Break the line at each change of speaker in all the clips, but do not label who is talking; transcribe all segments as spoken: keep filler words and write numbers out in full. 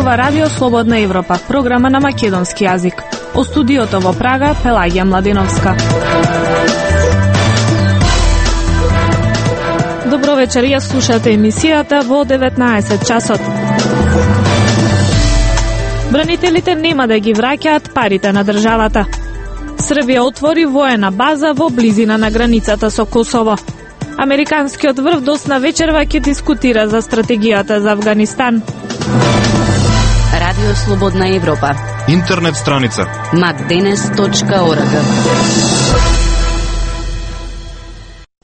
зборува Радио Слободна Европа, програма на македонски јазик. О студиото во Прага, Пелагија Младеновска. Добро вечер, ја слушате емисијата во деветнаесет часот. Бранителите нема да ги враќаат парите на државата. Србија отвори воена база во близина на границата со Косово. Американскиот врв досна вечерва ќе дискутира за стратегијата за Авганистан.
Радио Слободна Европа.
Интернет страница
макденес точка орг.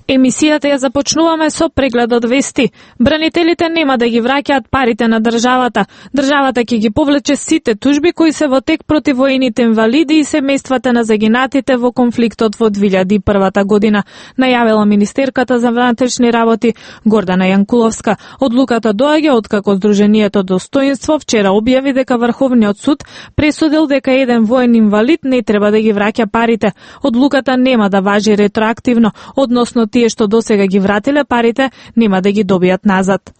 Емисијата ја започнуваме со преглед од вести. Бранителите нема да ги враќаат парите на државата. Државата ќе ги повлече сите тужби кои се во тек против воените инвалиди и семејствата на загинатите во конфликтот во две илјади и прва година, најавила министерката за внатрешни работи Гордана Јанкуловска. Одлуката доаѓа откако Сдруженијето Достоинство вчера објави дека Врховниот суд пресудил дека еден воен инвалид не треба да ги враќа парите. Одлуката нема да важи ретроактивно, односно тие што досега ги вратиле парите нема да ги добијат назад.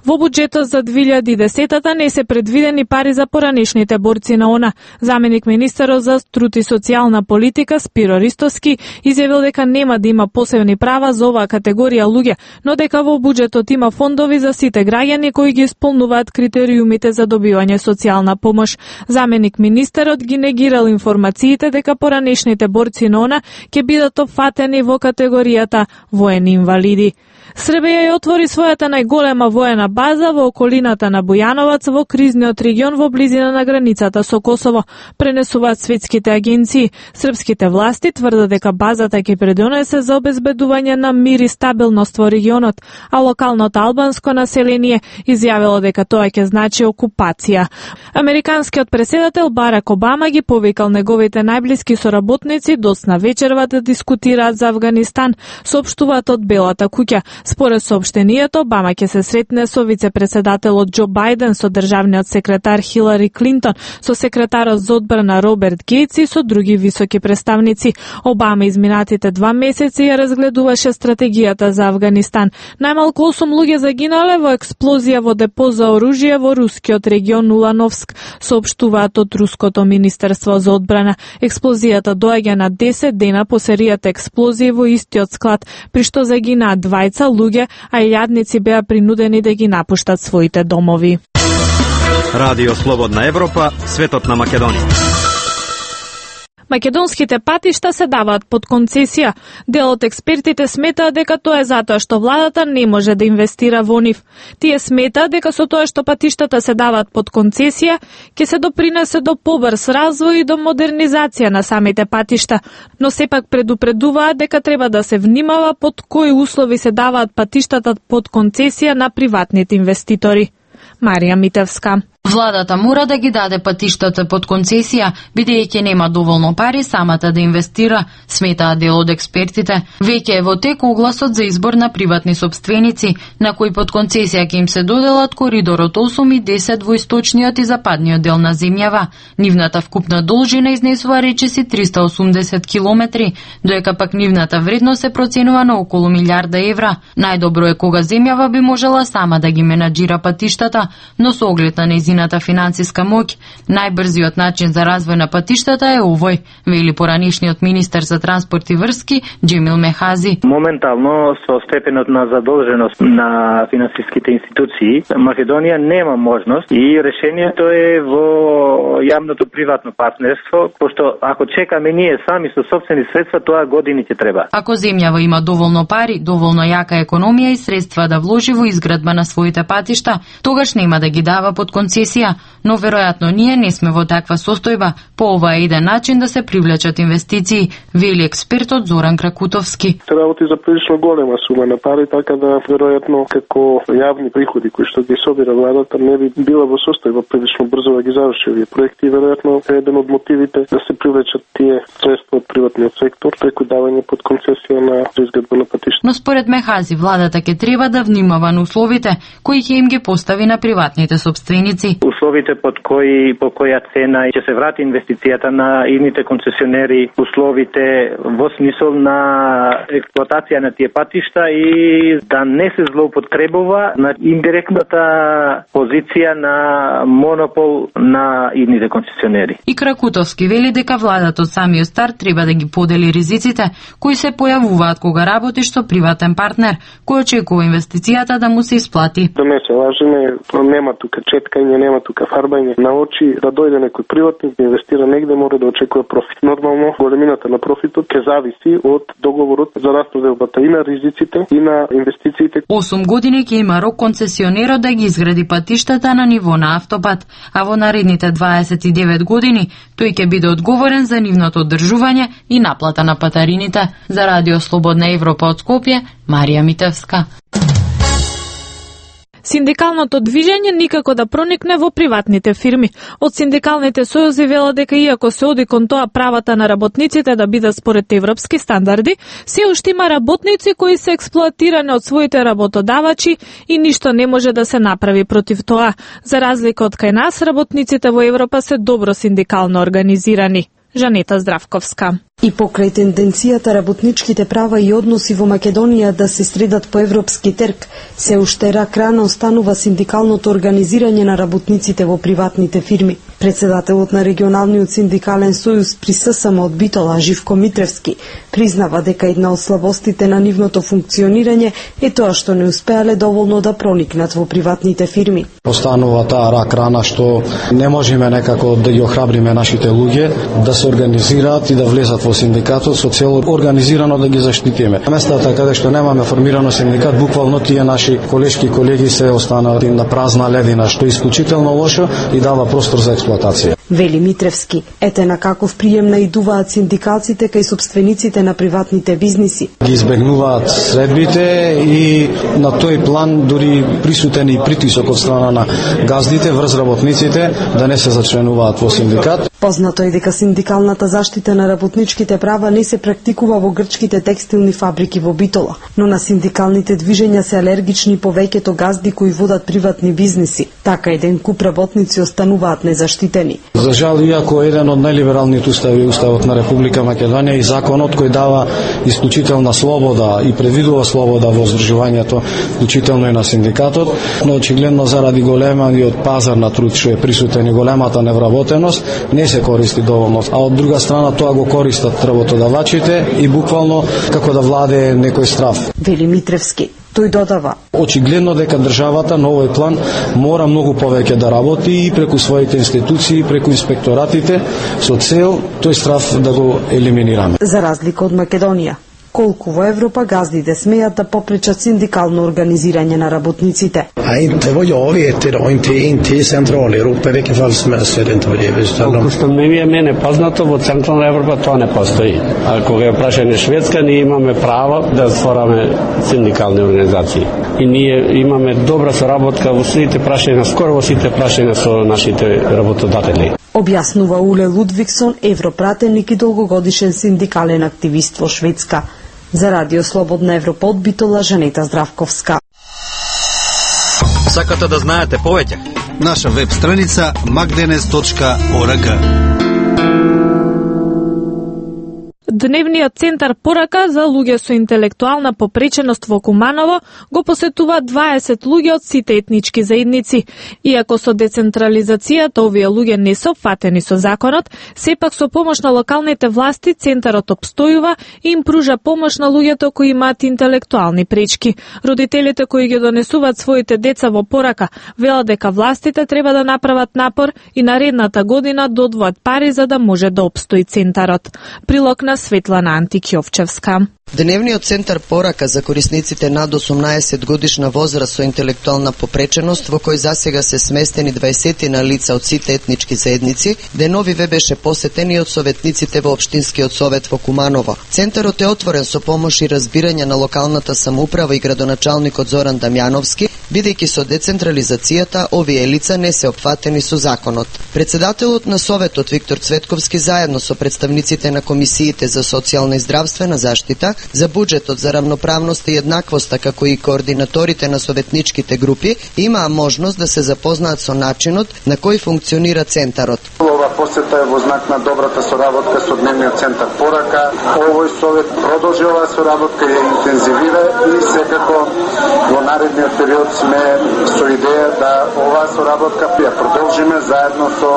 Во буџетот за две илјади и десета не се предвидени пари за поранешните борци на ОНА. Заменик министерот за труд и социјална политика Спиро Ристовски изјавил дека нема да има посебни права за оваа категорија луѓе, но дека во буџетот има фондови за сите граѓани кои ги исполнуваат критериумите за добивање социјална помош. Заменик министерот ги негирал информациите дека поранешните борци на ОНА ќе бидат опфатени во категоријата воени инвалиди. Србија ја отвори својата најголема воена база во околината на Бујановац во кризниот регион во близина на границата со Косово, пренесуваат светските агенции. Српските власти тврдат дека базата ќе придонесе за обезбедување на мир и стабилност во регионот, а локалното албанско население изјавило дека тоа ќе значи окупација. Американскиот претседател Барак Обама ги повикал неговите најблиски соработници досна вечерва да дискутираат за Авганистан, соопштуваат од Белата куќа. Според соопштенијето, Обама ќе се сретне со вице-председателот Џо Бајден, со државниот секретар Хилари Клинтон, со секретарот за одбрана Роберт Гејтс и со други високи представници. Обама изминатите два месеци ја разгледуваше стратегијата за Авганистан. Најмалку осум луѓе загинале во експлозија во депо за оружје во рускиот регион Улановск, соопштуваат од руското министерство за одбрана. Експлозијата доаѓа на десет дена по серијата експлозии во истиот склад, при што загинаа двајца луѓе, а илјадници беа принудени да ги напуштат своите домови.
Радио Слободна Европа, светот на Македонија.
Македонските патишта се даваат под концесија. Дел од експертите сметаат дека тоа е затоа што владата не може да инвестира во нив. Тие сметаат дека со тоа што патиштата се даваат под концесија, ќе се допринесе до побрз развој и до модернизација на самите патишта, но сепак предупредуваат дека треба да се внимава под кои услови се даваат патиштата под концесија на приватните инвеститори. Марија Митевска.
Владата мора да ги даде патиштата под концесија, бидејќи нема доволно пари самата да инвестира, сметаат дел од експертите. Веќе е во тек огласот за избор на приватни сопственици, на кои под концесија ќе им се доделат коридорот осум и десет во источниот и западниот дел на земјава. Нивната вкупна должина изнесува речиси триста и осумдесет километри, доека пак нивната вредност се проценува на околу милијарда евра. Најдобро е кога земјава би можела сама да ги менаџира патиштата, но со оглед на нејзината финансиска моќ, најбрзиот начин за развој на патиштата е овој, вели поранешниот министер за транспорт и врски Џемил Мехази.
Моментално со степенот на задолженост на финансиските институции, Македонија нема можност и решението е во јавното приватно партнерство, пошто ако чекаме ние сами со сопствени средства, тоа години ќе треба.
Ако земјава има доволно пари, доволно јака економија и средства да вложи во изградба на своите патишта, тогаш нема да ги дава под концесија, но веројатно ние не сме во таква состојба. По ова е еден начин да се привлечат инвестиции, вели експертот Зоран Кракутовски.
Работи за прилично голема сума на пари, така да веројатно како јавни приходи кои што ги собира владата не би била во состојба прилично брзо да ги заврши овие проекти. Веројатно е еден од мотивите да се привлечат тие средства од приватниот сектор преку давање под концесија на изградба на патишта.
Но според Мехази владата ќе треба да внимава на условите кои ќе им ги постави на приватните сопственици.
Услови условите под кои по која цена ќе се врати инвестицијата на идните концесионери, условите во смисол на експлоатација на тие патишта и да не се злоупотребува на индиректната позиција на монопол на идните концесионери.
И Кракутовски вели дека владата од самиот старт треба да ги подели ризиците кои се појавуваат кога работи што приватен партнер, кој очекува инвестицијата да му се исплати.
Да не се лажеме, нема тука четкање, нема тука фарбање на очи, да дојде некој приватник да инвестира негде, мора да очекува профит. Нормално големината на профитот ќе зависи од договорот за распределбата и на ризиците и на инвестициите.
осум години ќе има рок концесионерот да ги изгради патиштата на ниво на автопат, а во наредните дваесет и девет години тој ќе биде одговорен за нивното одржување и наплата на патарините. За Радио Слободна Европа од Скопје, Марија Митевска.
Синдикалното движење никако да проникне во приватните фирми. Од синдикалните сојузи велат дека иако се оди кон тоа правата на работниците да бидат според европски стандарди, се уште има работници кои се експлоатирани од своите работодавачи и ништо не може да се направи против тоа. За разлика од кај нас, работниците во Европа се добро синдикално организирани. Жанета Здравковска.
И покрај тенденцијата работничките права и односи во Македонија да се средат по европски терк, се уште рак рана останува синдикалното организирање на работниците во приватните фирми. Председателот на регионалниот синдикален сојуз при ССМ од Битола, Живко Митревски, признава дека една од слабостите на нивното функционирање е тоа што не успеале доволно да проникнат во приватните фирми.
Останува таа рак рана што не можеме некако да ги охрабриме нашите луѓе да се организираат и да влезат во синдикатот со цел организирано да ги заштитиме. На местата каде што немаме формирано синдикат, буквално тие наши колешки колеги се останати на празна ледина, што е исклучително лошо и дава простор за експлоатација.
Вели Митревски, ете на каков прием наидуваат синдикалците кај собствениците на приватните бизниси.
Ги избегнуваат средбите и на тој план дури присутен и притисок од страна на газдите врз работниците да не се зачленуваат во синдикат.
Познато е дека синдикалната заштита на работничките права не се практикува во грчките текстилни фабрики во Битола, но на синдикалните движења се алергични повеќето газди кои водат приватни бизниси. Така еден куп работници остануваат незаштитени.
За жал, иако еден од најлибералните устави, уставот на Република Македонија и законот кој дава исклучителна слобода и предвидува слобода во здружувањето, вклучително и на синдикатот, но очигледно заради големиот пазар на труд што е присутен и големата невработеност, не се користи доволно. А од друга страна тоа го користат работодавачите и буквално како да владее некој страв.
Вели Митревски. Тој додава:
очигледно дека државата на овој план мора многу повеќе да работи и преку своите институции, преку инспекторатите, со цел тој страв да го елиминираме.
За разлика од Македонија, колку во Европа газдите смеат да попречат синдикално организирање на работниците.
Nej, inte vad jag vet idag, inte, inte i Centraleuropa, i vilket fall som helst är det inte vad det är.
Колку што ми е мене познато, во Централна Европа тоа не постои. А кога е прашање Шведска, ние имаме право да створаме синдикални организации. И ние имаме добра соработка во сите прашања, скоро во сите прашања со нашите работодатели.
Објаснува Уле Лудвиксон, европратеник и долгогодишен синдикален активист во Шведска. За Радио Слободна Европа од Битола, Жанета Здравковска.
Сакате да знаете повеќе?
Наша веб страница magdenes точка org.
Дневниот центар порака за луѓе со интелектуална попреченост во Куманово го посетува дваесет луѓе од сите етнички заедници. Иако со децентрализацијата овие луѓе не се опфатени со законот, сепак со помош на локалните власти центарот обстојува и им пружа помош на луѓето кои имаат интелектуални пречки. Родителите кои ги донесуваат своите деца во порака велат дека властите треба да направат напор и наредната година да одвојат пари за да може да обстои центарот. Прилог на Светлана Антикјовчевска.
Дневниот центар порака за корисниците над осумнаесет годишна возраст со интелектуална попреченост, во кој засега се сместени дваесет на лица од сите етнички заедници, деновиве беше посетен и од советниците во Општинскиот совет во Куманово. Центарот е отворен со помош и разбирање на локалната самоуправа и градоначалникот Зоран Дамјановски, бидејќи со децентрализацијата овие лица не се опфатени со законот. Председателот на советот Виктор Цветковски заедно со представниците на комисиите за социјална и здравствена заштита за буџетот за равноправност и еднаквоста, како и координаторите на советничките групи, имаа можност да се запознаат со начинот на кој функционира центарот.
Ова посета е во знак на добрата соработка со Дневниот центар Порака. Овој совет продолжи оваа соработка и ја интензивира и секако во наредниот период сме со идеја да оваа соработка ја продолжиме заедно со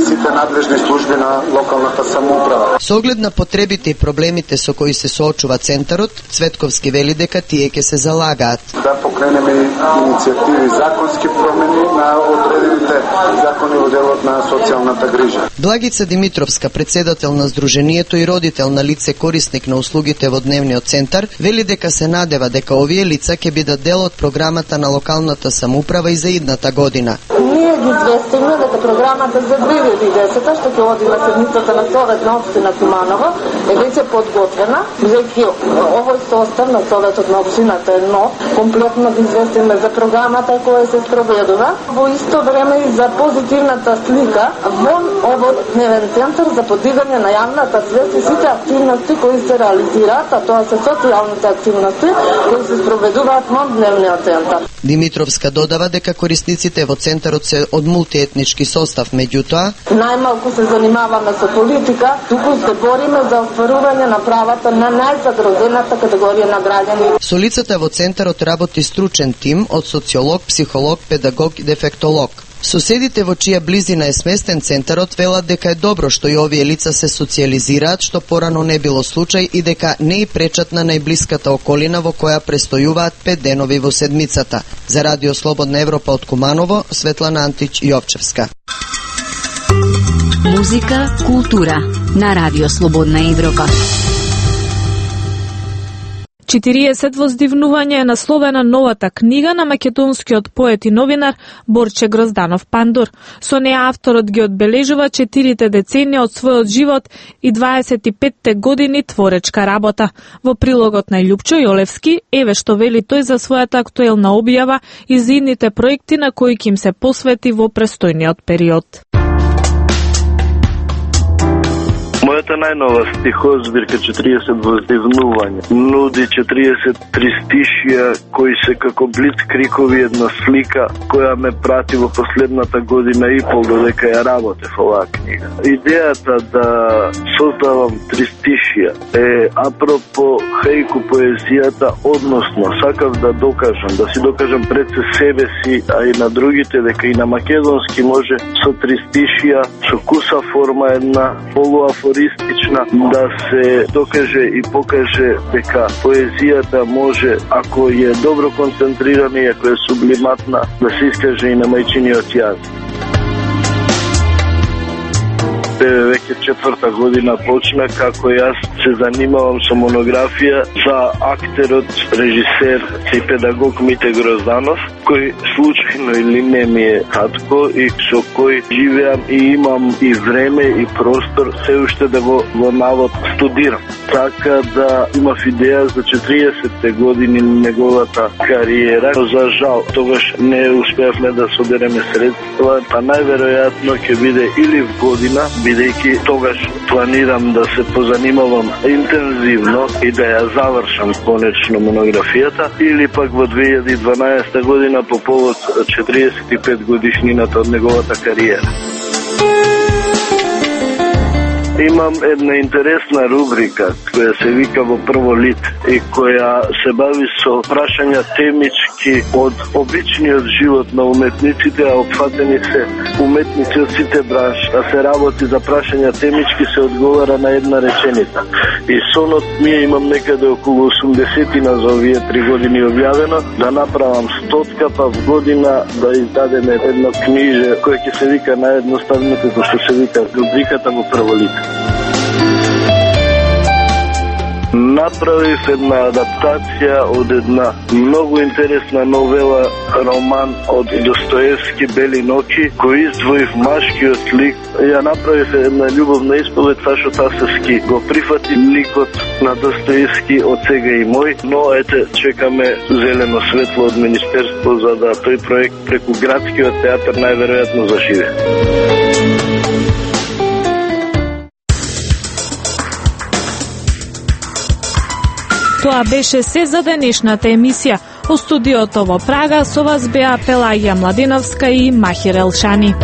сите надлежни служби на локалната самоуправа.
Со оглед на потребите и проблемите со кои се соочува центарот, Цветковски вели дека тие ќе се залагаат
да покренеме иницијативи, законски промени на одредените закони во делот на социјалната грижа.
Благица Димитровска, председател на Сдруженијето и родител на лице корисник на услугите во Дневниот центар, вели дека се надева дека овие лица ќе бидат дел од програмата на локалната самоуправа и за идната година.
Ние ги известиме дека програмата за две илјади и десета, што ќе оди на седмицата на Совет на општина Куманово, е веќе подготвена, бидејќи овој состав на Советот на општината е нов. Комплетно ги известиме за програмата која се спроведува, во исто време и за позитивната слика во овој Дневен центар за подигање на јавната свест и сите активности кои се реализираат, а тоа се социјалните активности кои се спроведуваат во Дневниот центар.
Димитровска додава дека корисниците во центарот се од мултиетнички состав, меѓутоа
најмалку се занимаваме со политика, туку се бориме за остварување на правата на најзагрозената категорија на граѓани.
Со лицата во центарот работи стручен тим од социолог, психолог, педагог и дефектолог. Соседите во чија близина е сместен центарот велат дека е добро што и овие лица се социализираат, што порано не било случај и дека не и пречат на најблиската околина во која престојуваат пет денови во седмицата. За Радио Слободна Европа од Куманово, Светлана Антич Јовчевска.
Музика, култура на Радио Слободна Европа.
четириесет воздивнување е насловена новата книга на македонскиот поет и новинар Борче Грозданов Пандур. Со неа авторот ги одбележува четирите деценија од својот живот и дваесет и петте години творечка работа. Во прилогот на Љупчо Јолевски, еве што вели тој за својата актуелна објава и за идните проекти на кои ќе им се посвети во престојниот период.
Мојата најнова стихозбирка четириесет воздивнувања нуди четириесет тристишија кои се како блиц крикови една слика која ме прати во последната година и пол додека ја работев оваа книга. Идејата да создавам тристишија е апропо хејку поезијата, односно сакав да докажам, да си докажам пред себе си, а и на другите дека и на македонски може со тристишија, со куса форма една полуафористична да се докаже и покаже дека поезијата може, ако е добро концентрирана и ако е сублиматна, да се искаже и на мајчиниот јазик. Веќе четврта година почна како јас се занимавам со монографија за актерот, режисер и педагог Мите Грозданов, кој случајно или не ми е татко и со кој живеам и имам и време и простор се уште да го, го навод студирам. Така да имав идеја за четириесетте години неговата кариера. За жал, тогаш не успеавме да собереме средства, па најверојатно ќе биде или в година, бидејќи тогаш планирам да се позанимавам интензивно и да ја завршам конечно монографијата, или пак во две илјади и дванаесета година по повод четириесет и пет годишнината од неговата кариера. Имам една интересна рубрика која се вика во прво лит и која се бави со прашања темички од обичниот живот на уметниците, а опфатени се уметници од сите бранши. А се работи за прашања темички, се одговара на една реченица. И сонот ми имам некаде околу осумдесетина за овие три години објавено, да направам стотка, па в година да издадеме едно книже која ќе се вика наједноставното, што се вика рубриката во прво лит. Направив една адаптација од една многу интересна новела, роман од Достоевски, Бели ноќи, кој издвоив машкиот лик. Ја направив една љубовна исповед, Сашо Тасовски го прифати ликот на Достоевски од сега и мој, но ете, чекаме зелено светло од Министерство за да тој проект преку градскиот театар најверојатно заживе.
Тоа беше се за денешната емисија. Во студиото во Прага со вас беа Пелагија Младиновска и Махир Елшани.